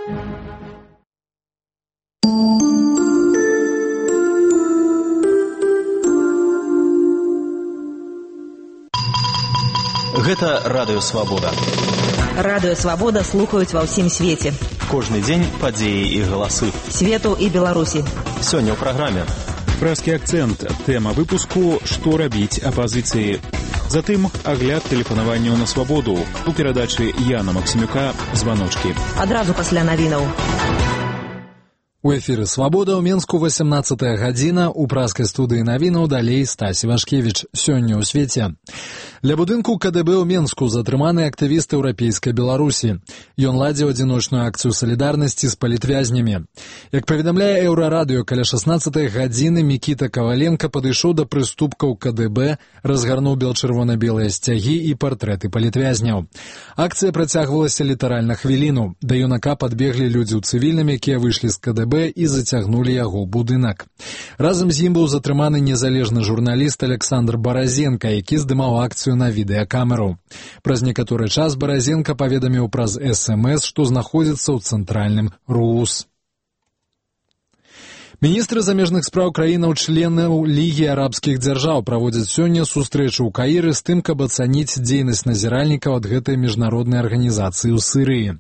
Гэта Радыё Свабода. Радыё Свабода слухаюць ва ўсім свеце. Кожны дзень падзеі і галасы. Свету і Беларусі. Сёння ў праграме. Пражскі акцэнт. Тэма выпуску «Што рабіць апазіцыі». Затым агляд тэлефанаванняў на свабоду. У перадачы Яна Максімюка «Званочкі». Адразу пасля навінаў. У эфіры «Свабода» ў Менску 18-я гадзіна. У пражскай студыі навінаў далей Стась Івашкевіч. Сёння ў свеце. Ля будынку КДБ ў Менску затрыманы актывіст еўрапейскай Беларусі. Ён ладзіў адзіночную акцыю салідарнасці з палітвязнямі. Як паведамляе Еўрарадыё, каля 16-й гадзіны Мікіта Каваленка падышоў да прыступкаў КДБ, разгарнуў бел-чырвона-белыя сцягі і партрэты палітвязняў. Акцыя працягвалася літаральна хвіліну. Да юнака падбеглі людзі ў цывільным, якія выйшлі з КДБ і зацягнулі яго ў будынак. Разам з ім быў затрыманы незалежны журналіст Александр Баразенка, які здымаў акцыю на відэакамеру. Праз некаторы час Баразенка паведаміў праз СМС, што знаходзіцца ў цэнтральным РУС. Міністры замежных спраў краінаў-членаў Лігі арабскіх дзяржаў праводзяць сёння сустрэчу ў Каіры з тым, каб ацаніць дзейнасць назіральнікаў ад гэтай міжнароднай арганізацыі ў Сірыі.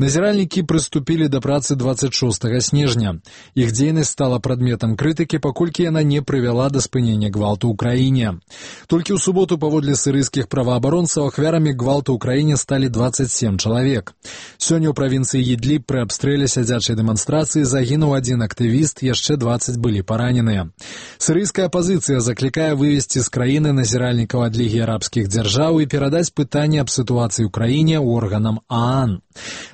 Назіральнікі прыступілі да працы 26 снежня. Іх дзейнасць стала прадметам крытыкі, паколькі яна не прывяла да спынення гвалту ў краіне. Толькі ў суботу паводле сірыйскіх праваабаронцаў ахвярамі гвалту ў краіне сталі 27 чалавек. Сёння ў правінцыі Ідліб пры абстрэле сядзячай дэманстрацыі загінуў адзін актывіст, яшчэ 20 былі параненыя. Сірыйская апазіцыя заклікае вывесці з краіны назіральнікаў ад Лігі арабскіх дзяржаў і перадаць пытанне аб сітуацыі ў краіне органам ААН.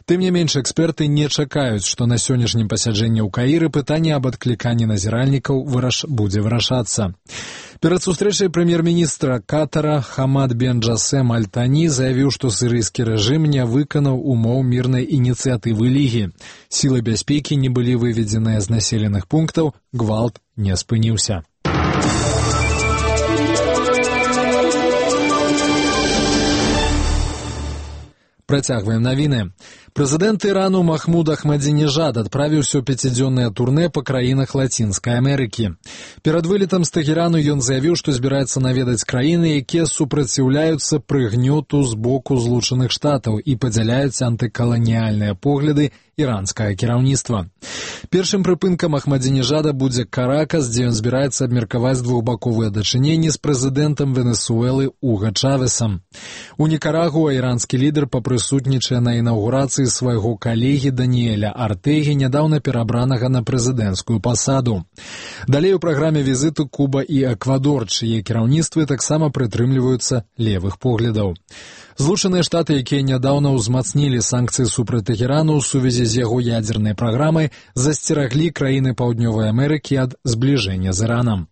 Тым не менш, эксперты не чакаюць, што на сённяшнім пасяджэнні ў Каіры пытанне аб адкліканні назіральнікаў будзе вырашацца. Перад сустрэчай прэм'ер-міністра Катара Хамад бен Джасем Аль-Тані заявіў, што сірыйскі рэжым не выканаў умоў мірнай ініцыятывы Лігі. Сілы бяспекі не былі выведзеныя з населеных пунктаў, гвалт не спыніўся. Працягваем навіны. Прэзідэнт Ірану Махмуд Ахмадзінежад адправіўся ў 5-дзённае турнэ па краінах Лацінскай Амерыкі. Перад вылетам з Тэхерану ён заявіў, што збіраецца наведаць краіны, якія супраціўляюцца прыгнёту з боку Злучаных Штатаў і падзяляюць антыкаланіяльныя погляды іранскага кіраўніцтва. Першым прыпынкам Ахмадзінежада будзе Каракас, дзе ён збіраецца абмеркаваць двухбаковыя дачыненні з прэзідэнтам Венесуэлы Уга Чавесам. У Нікарагуа іранскі лідар папрысутнічае на інаўгурацыі свайго калегі Даніэля Артэгі, нядаўна перабранага на прэзідэнцкую пасаду. Далей у праграме візіту Куба і Эквадор, чые кіраўніцтвы таксама прытрымліваюцца левых поглядаў. Злучаныя Штаты, якія нядаўна ўзмацнілі санкцыі супраць Тэхерану ў сувязі з яго ядзернай праграмай, засцераглі краіны Паўднёвай Амерыкі ад збліжэння з Іранам.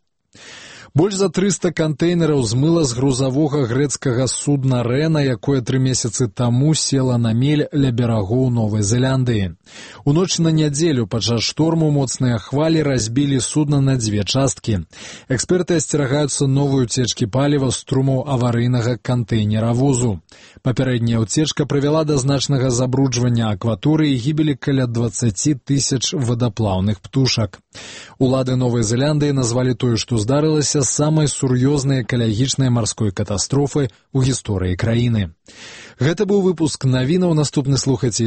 Больш за 300 кантэйнераў змыла з грузавога грэцкага судна Рэна, якое 3 месяцы таму села на мель ля берагоў Новай Зеландыі. У ноч на нядзелю падчас шторму моцныя хвалі разбілі судна на 2 часткі. Эксперты асцерагаюцца новай уцечкі паліва з трумаў аварыйнага кантэйнеравозу. Папярэдняя ўцечка прывяла да значнага забруджвання акваторыі і гібелі каля 20 тысяч вадаплаўных птушак. Улады Новай Зеландыі назвалі тое, што здарылася, самай сур'ёзнай экалагічнай марской катастрофай у гісторыі краіны. Гэта быў выпуск навінаў. Наступны слухайце